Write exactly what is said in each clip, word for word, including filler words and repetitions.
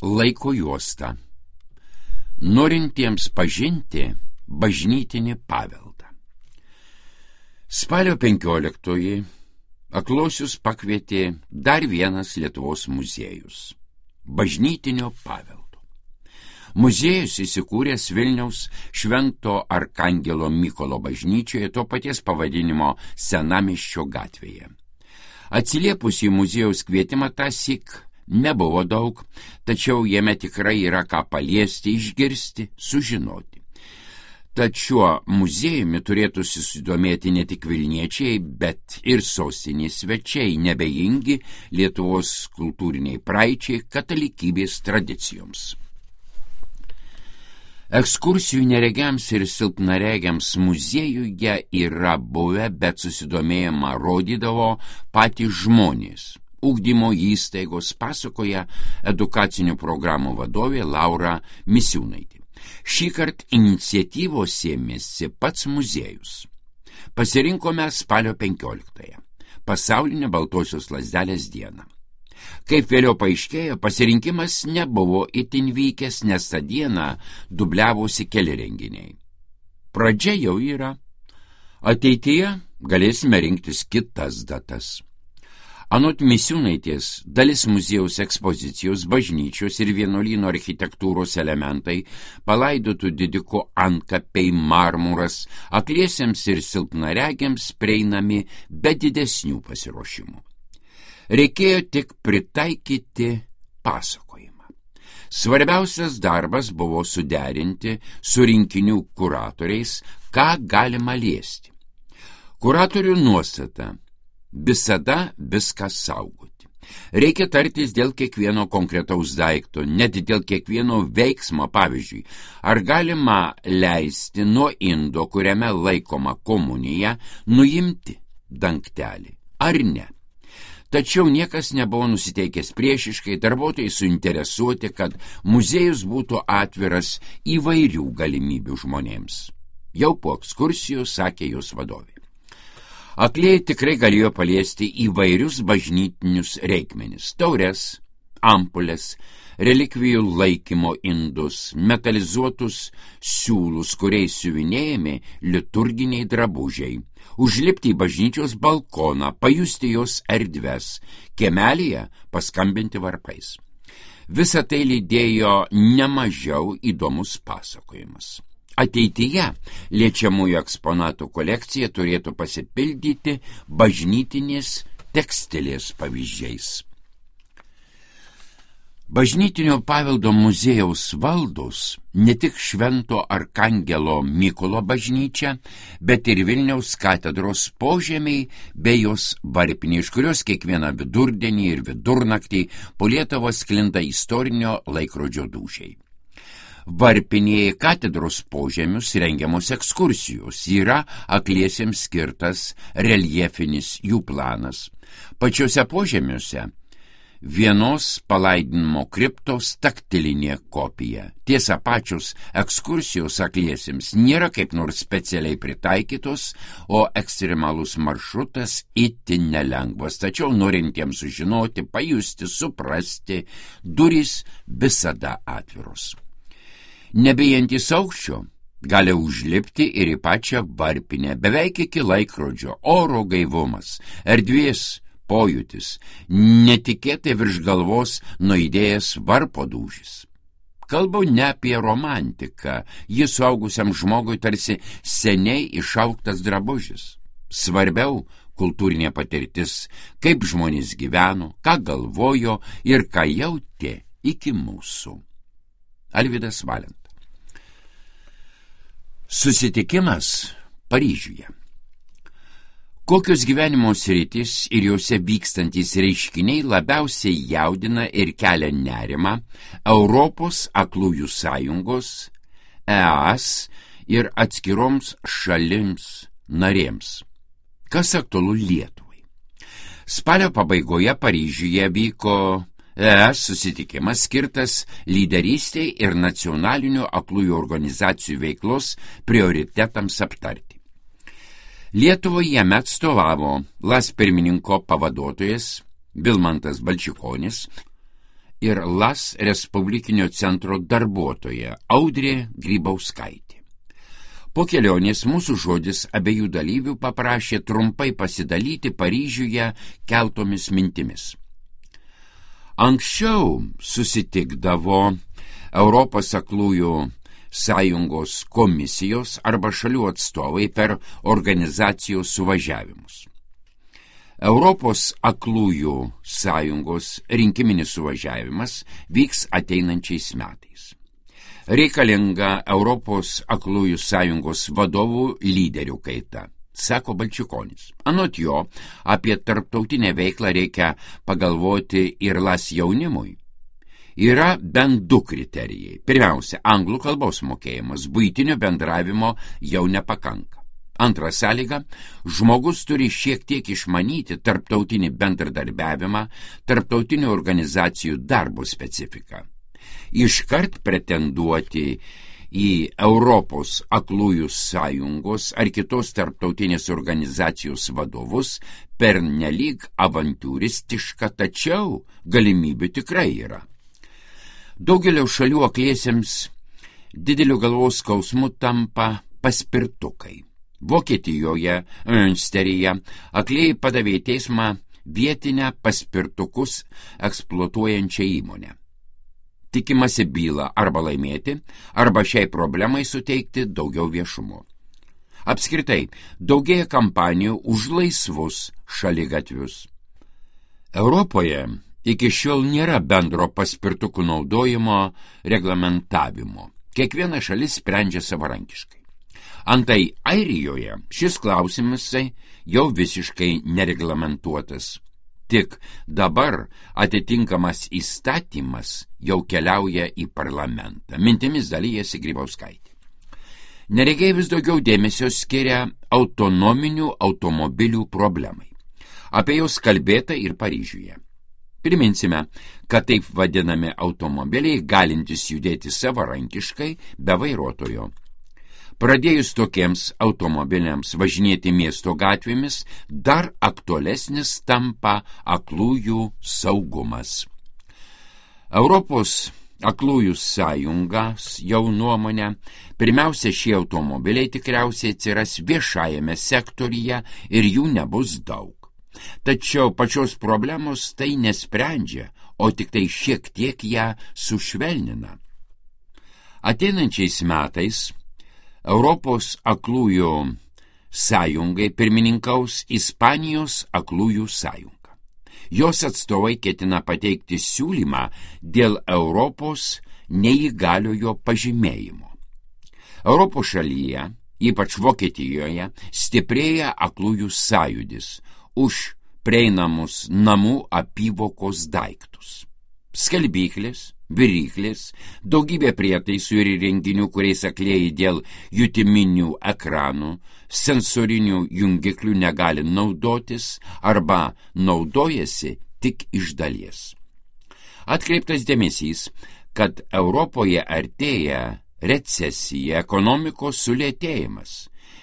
Laiko juosta. Norintiems pažinti bažnytinį paveldą. Spalio penkioliktoji aklosius pakvietė dar vienas Lietuvos muziejus – bažnytinio paveldo. Muziejus įsikūręs Vilniaus Švento Arkangelo Mykolo bažnyčioje, to paties pavadinimo Senamiesčio gatvėje. Atsiliepus į muziejaus kvietimą tąsyk nebuvo daug, tačiau jame tikrai yra ką paliesti, išgirsti, sužinoti. Tad šiuo muziejumi turėtų susidomėti ne tik vilniečiai, bet ir sostinės svečiai, nebejingi Lietuvos kultūriniai praeičiai, katalikybės tradicijoms. Ekskursijų neregiams ir silpnaregiams muziejuje yra buvę, bet susidomėjimą rodydavo patys žmonės. Ugdymo įstaigos, pasakoja edukacinių programų vadovė Laura Misiūnaitė. Šįkart iniciatyvos ėmėsi pats muziejus. Pasirinkome spalio penkioliktąją, pasaulinę baltosios lazdelės dieną. Kaip vėliau paaiškėjo, pasirinkimas nebuvo itin vykęs, nes tą dieną dubliavosi keli renginiai. Pradžia jau yra. Ateityje galėsime rinktis kitas datas. Anot Misiūnaitės, dalis muziejaus ekspozicijos, bažnyčios ir vienuolyno architektūros elementai, palaidotų didiko antkapiai, marmuras, akliesiems ir silpnaregiams prieinami be didesnių pasiruošimų. Reikėjo tik pritaikyti pasakojimą. Svarbiausias darbas buvo suderinti su rinkinių kuratoriais, ką galima liesti. Kuratorių nuostata – visada viską saugoti. Reikia tartis dėl kiekvieno konkretaus daikto, net dėl kiekvieno veiksmo, pavyzdžiui, ar galima leisti nuo indo, kuriame laikoma komunija, nuimti dangtelį, ar ne. Tačiau niekas nebuvo nusiteikęs priešiškai, darbuotojai suinteresuoti, kad muziejus būtų atviras įvairių galimybių žmonėms. Jau po ekskursijų sakė jos vadovė. Aklieji tikrai galėjo paliesti įvairius bažnytinius reikmenis – taures, ampulės, relikvijų laikymo indus, metalizuotus siūlus, kuriais siuvinėjami liturginiai drabužiai, užlipti į bažnyčios balkoną, pajusti jos erdves, kiemelyje paskambinti varpais. Visą tai lydėjo nemažiau įdomus pasakojimas. Ateityje liečiamųjų eksponatų kolekcija turėtų pasipildyti bažnytinės tekstilės pavyzdžiais. Bažnytinio paveldo muziejaus valdos ne tik Švento Arkangelo Mykolo bažnyčia, bet ir Vilniaus katedros požemiai bei jos varpinė, iš kurios kiekvieną vidurdienį ir vidurnaktį po Lietuvą sklinda istorinio laikrodžio dūžiai. Varpinėje katedros požemius rengiamos ekskursijos, yra akliesiems skirtas reljefinis jų planas. Pačiuose požemiuose vienos palaidinimo kriptos taktilinė kopija. Tiesa, pačios ekskursijos akliesiems nėra kaip nors specialiai pritaikytos, o ekstremalus maršrutas itin nelengvas, tačiau norintiems sužinoti, pajusti, suprasti, durys visada atviros. Nebijantys aukščio gali užlipti ir į pačią varpinę, beveik iki laikrodžio, oro gaivumas, erdvės pojūtis, netikėtai virš galvos nuaidėjęs varpo dūžis. Kalbu ne apie romantiką, jis suaugusiam žmogui tarsi seniai išaugtas drabužis. Svarbiau kultūrinė patirtis, kaip žmonės gyveno, ką galvojo ir ką jautė iki mūsų. Alvydas Valenta. Susitikimas Paryžiuje. Kokios gyvenimo sritys ir jose vykstantys reiškiniai labiausiai jaudina ir kelia nerimą Europos aklųjų sąjungos, E A S ir atskiroms šalims narėms? Kas aktualu Lietuvai? Spalio pabaigoje Paryžiuje vyko E A S susitikimas skirtas lyderystei ir nacionalinių aklųjų organizacijų veiklos prioritetams aptarti. Lietuvoje jame atstovavo L A S pirmininko pavaduotojas Vilmantas Balčikonis ir Las Respublikinio centro darbuotoja Audrė Grybauskaitė. Po kelionės mūsų žodis abiejų dalyvių paprašė trumpai pasidalyti Paryžiuje keltomis mintimis. Anksčiau susitikdavo Europos aklųjų sąjungos komisijos arba šalių atstovai per organizacijos suvažiavimus. Europos aklųjų sąjungos rinkiminis suvažiavimas vyks ateinančiais metais. Reikalinga Europos aklųjų sąjungos vadovų lyderių kaita, sako Balčikonis. Anot jo, apie tarptautinę veiklą reikia pagalvoti ir Las jaunimui. Yra bent du kriterijai. Pirmiausia, anglų kalbos mokėjimas, buitinio bendravimo jau nepakanka. Antra sąlyga, žmogus turi šiek tiek išmanyti tarptautinį bendradarbiavimą, tarptautinių organizacijų darbo specifiką. Iškart pretenduoti į Europos aklųjų sąjungos ar kitos tarptautinės organizacijos vadovus pernelyg avantiūristiška, tačiau galimybių tikrai yra. Daugelio šalių akliesiems dideliu galvos skausmu tampa paspirtukai. Vokietijoje, Münsteryje, aklieji padavė į teismą vietinę paspirtukus eksploatuojančią įmonę. Tikimasi bylą arba laimėti, arba šiai problemai suteikti daugiau viešumo. Apskritai, daugėja kampanijų už laisvus šaligatvius. Europoje iki šiol nėra bendro paspirtukų naudojimo reglamentavimo. Kiekviena šalis sprendžia savarankiškai. Antai Airijoje šis klausimas jau visiškai nereglamentuotas. Tik dabar atitinkamas įstatymas jau keliauja į parlamentą. Mintimis dalyjasi Grybauskaitė. Neregiai vis daugiau dėmesio skiria autonominių automobilių problemai. Apie jos kalbėta ir Paryžiuje. Priminsime, kad taip vadinami automobiliai galintys judėti savarankiškai be vairuotojo. Pradėjus tokiems automobiliams važinėti miesto gatvėmis, dar aktualesnis tampa aklųjų saugumas. Europos aklųjų sąjungas jau nuomonė, pirmiausia, šie automobiliai tikriausiai atsiras viešajame sektoriuje ir jų nebus daug. Tačiau pačios problemos tai nesprendžia, o tik tai šiek tiek ją sušvelnina. Ateinančiais metais Europos aklųjų sąjungai pirmininkaus Ispanijos aklųjų sąjunga. Jos atstovai ketina pateikti siūlymą dėl Europos neįgaliojo pažymėjimo. Europos šalyje, ypač Vokietijoje, stiprėja aklųjų sąjūdis už prieinamus namų apyvokos daiktus. Skalbyklės, viryklės, daugybė prietaisų ir įrenginių, kuriais aklieji dėl jutiminių ekranų, sensorinių jungiklių negali naudotis arba naudojasi tik iš dalies. Atkreiptas dėmesys, kad Europoje artėja recesija, ekonomikos sulėtėjimas.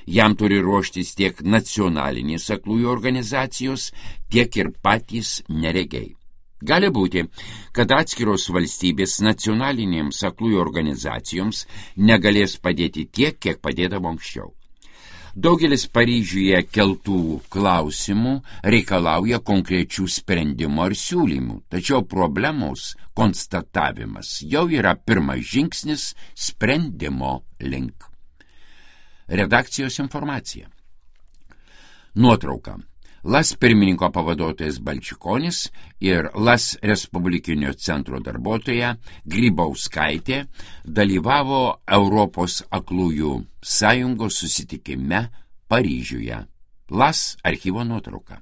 Jam turi ruoštis tiek nacionalinės aklųjų organizacijos, tiek ir patys neregiai. Gali būti, kad atskiros valstybės nacionalinėms aklųjų organizacijoms negalės padėti tiek, kiek padėdavo anksčiau. Daugelis Paryžiuje keltų klausimų reikalauja konkrečių sprendimų ar siūlymų, tačiau problemos konstatavimas jau yra pirmas žingsnis sprendimo link. Redakcijos informacija. Nuotrauka. Las pirmininko pavaduotojas Balčikonis ir Las Respublikinio centro darbuotoja Grybauskaitė dalyvavo Europos aklųjų sąjungos susitikime Paryžiuje. Las archyvo nuotrauka.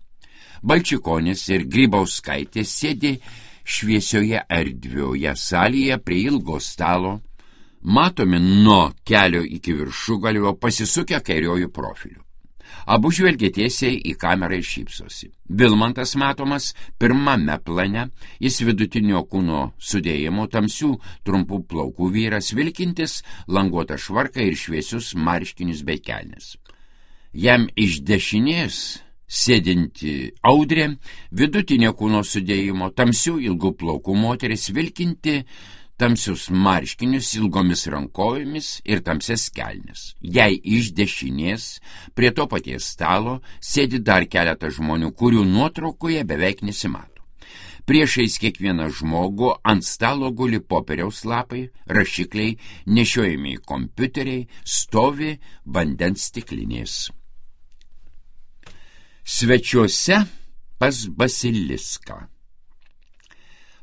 Balčikonis ir Grybauskaitė sėdi šviesioje erdvioje salėje prie ilgo stalo, matomi nuo kelio iki viršugalvio pasisukę kairiojų profilių. Abu žvelgia tiesiai į kamerą ir šypsosi. Vilmantas matomas pirmame plane, jis vidutinio kūno sudėjimo, tamsių trumpų plaukų vyras, vilkintis languotą švarką ir šviesius marškinius bei kelnes. Jam iš dešinės sėdinti Audrė, vidutinio kūno sudėjimo, tamsių ilgų plaukų moteris, vilkinti tamsius marškinius ilgomis rankovėmis ir tamsias kelnes. Jei iš dešinės prie to paties stalo sėdi dar keletą žmonių, kurių nuotraukoje beveik nesimato. Priešais kiekvieną žmogų ant stalo guli popieriaus lapai, rašikliai, nešiojami kompiuteriai, stovi vandens stiklinės. Svečiuose pas Basiliską.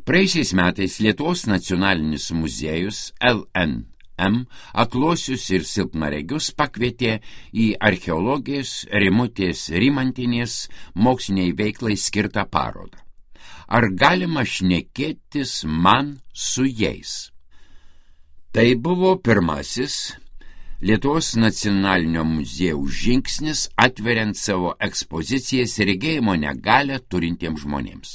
Praėjusiais metais Lietuvos nacionalinis muziejus L N M akluosius ir silpnaregius pakvietė į archeologijos Rimutės Rimantienės moksliniai veiklai skirtą parodą. Ar galima šnekėtis man su jais? Tai buvo pirmasis Lietuvos nacionalinio muziejaus žingsnis atveriant savo ekspozicijas regėjimo negalią turintiems žmonėms.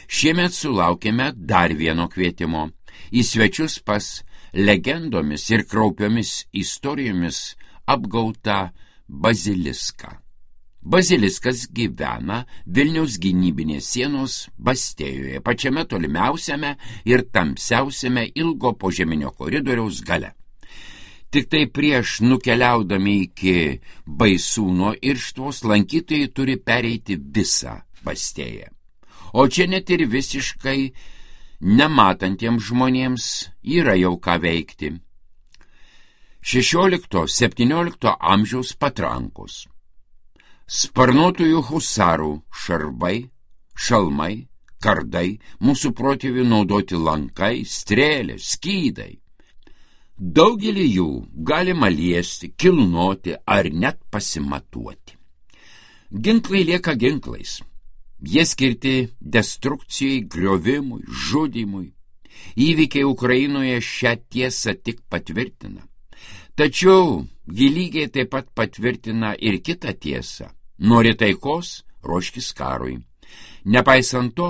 Šiemet sulaukėme dar vieno kvietimo į svečius pas legendomis ir kraupiomis istorijomis apgautą Basiliską. Baziliskas gyvena Vilniaus gynybinės sienos Bastėjoje, pačiame tolimiausiame ir tamsiausiame ilgo požeminio koridoriaus gale. Tik tai prieš nukeliaudami iki Baisūno irštvos lankytojai turi pereiti visą Bastėją. O čia net ir visiškai nematantiems žmonėms yra jau ką veikti. šešiolikto septyniolikto amžiaus patrankos. Sparnuotųjų husarų šarvai, šalmai, kardai, mūsų protėvių naudoti lankai, strėlės, skydai. Daugelį jų galima liesti, kilnoti ar net pasimatuoti. Ginklai lieka ginklais. Jie skirti destrukcijai, griovimui, žudymui. Įvykiai Ukrainoje šią tiesą tik patvirtina. Tačiau ji lygiai taip pat patvirtina ir kitą tiesą. Nori taikos, ruoškis karui. Nepaisant to,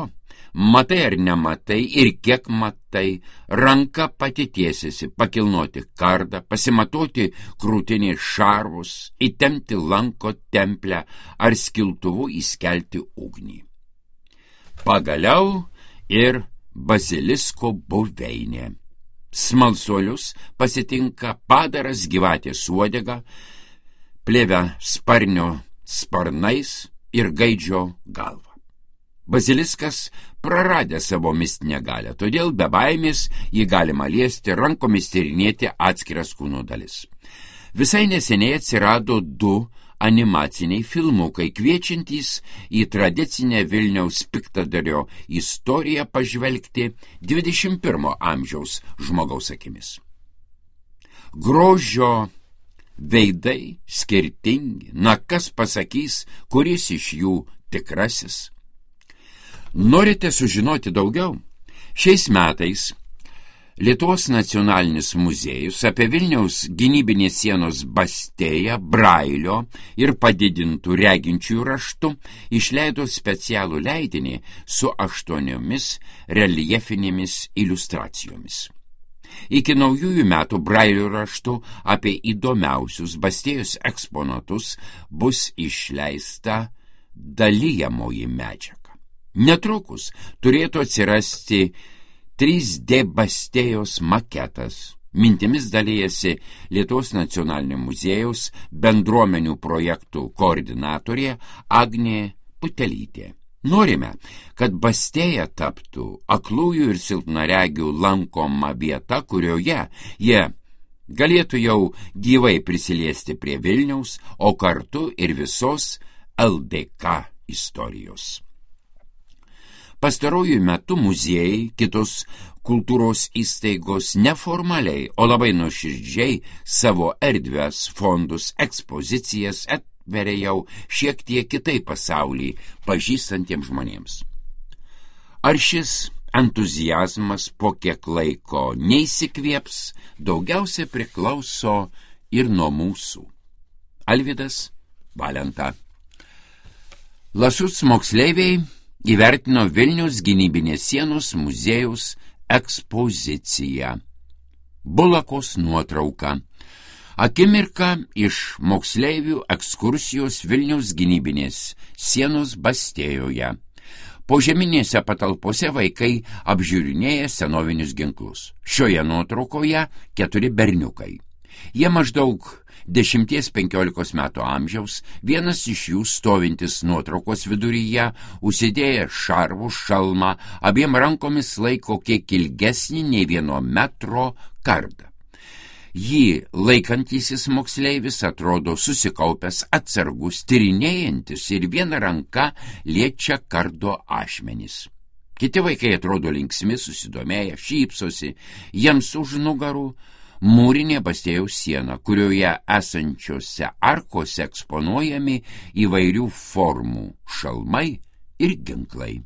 matai ar nematai ir kiek matai, ranka pati tiesiasi pakilnoti kardą, pasimatuoti krūtinį šarvus, įtempti lanko templę ar skiltuvu įskelti ugnį. Pagaliau ir Basilisko buveinė. Smalsuolius pasitinka padaras gyvatės uodega, plėvę sparnio sparnais ir gaidžio galva. Basiliskas praradė savo mistinę galią, todėl be baimės jį galima liesti, rankomis tyrinėti atskiras kūno dalis. Visai neseniai atsirado du animaciniai filmukai, kviečiantys į tradicinę Vilniaus piktadario istoriją pažvelgti dvidešimt pirmo amžiaus žmogaus akimis. Grožio veidai skirtingi, na kas pasakys, kuris iš jų tikrasis? Norite sužinoti daugiau? Šiais metais Lietuvos nacionalinis muziejus apie Vilniaus gynybinės sienos Bastėją, Brailio ir padidintų reginčiųjų raštų išleido specialų leidinį su aštuoniomis reljefinėmis iliustracijomis. Iki naujųjų metų Brailio raštų apie įdomiausius Bastėjos eksponatus bus išleista dalijamoji medžiaga. Netrukus turėtų atsirasti trys D Bastėjos maketas. Mintimis dalijasi Lietuvos nacionalinio muziejaus bendruomenių projektų koordinatorė Agnė Putelytė. Norime, kad Bastėja taptų aklųjų ir silpnaregių lankoma vieta, kurioje jie galėtų jau gyvai prisiliesti prie Vilniaus, o kartu ir visos L D K istorijos. Pastarojų metų muziejai, kitos kultūros įstaigos neformaliai, o labai nuoširdžiai savo erdves, fondus, ekspozicijas atveria jau šiek tiek kitai pasaulį pažįstantiems žmonėms. Ar šis entuziazmas po kiek laiko neįsikvėps, daugiausia priklauso ir nuo mūsų. Alvydas Valenta. Lasuc moksleiviai įvertino Vilniaus gynybinės sienos muziejaus ekspoziciją. Bulakos nuotrauka. Akimirka iš moksleivių ekskursijos Vilniaus gynybinės sienos Bastėjoje. Požeminėse patalpose vaikai apžiūrinėja senovinius ginklus. Šioje nuotraukoje keturi berniukai. Jie maždaug dešimties penkiolikos metų amžiaus, vienas iš jų stovintis nuotraukos viduryje, užsidėję šarvų šalmą, abiem rankomis laiko kiek ilgesnį nei vieno metro kardą. Jį laikantysis moksleivis atrodo susikaupęs, atsargus, tyrinėjantis ir viena ranka liečia kardo ašmenis. Kiti vaikai atrodo linksmi, susidomėję, šypsosi, jiems už nugarų mūrinė Bastėjaus siena, kurioje esančiose arkose eksponuojami įvairių formų šalmai ir ginklai.